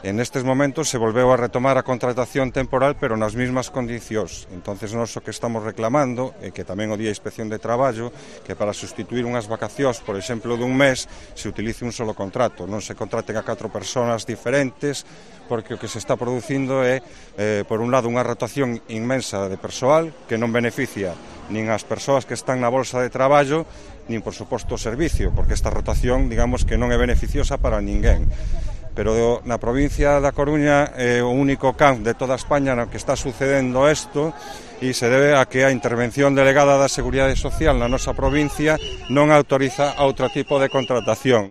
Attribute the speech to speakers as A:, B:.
A: En estes momentos se volveu a retomar a contratación temporal, pero nas mesmas condicións. Entonces, nós o que estamos reclamando, e que tamén o Día de Inspección de Traballo, que para sustituir unhas vacacións, por exemplo, dun mes, se utilice un solo contrato, non se contraten a 4 persoas diferentes, porque o que se está producindo é, por un lado, unha rotación inmensa de persoal que non beneficia nin as persoas que están na bolsa de traballo, nin, por suposto, o servicio, porque esta rotación, digamos, que non é beneficiosa para ninguén. Pero na provincia da Coruña é o único camp de toda España no que está sucedendo isto e se debe a que a intervención delegada da Seguridade Social na nosa provincia non autoriza outro tipo de contratación.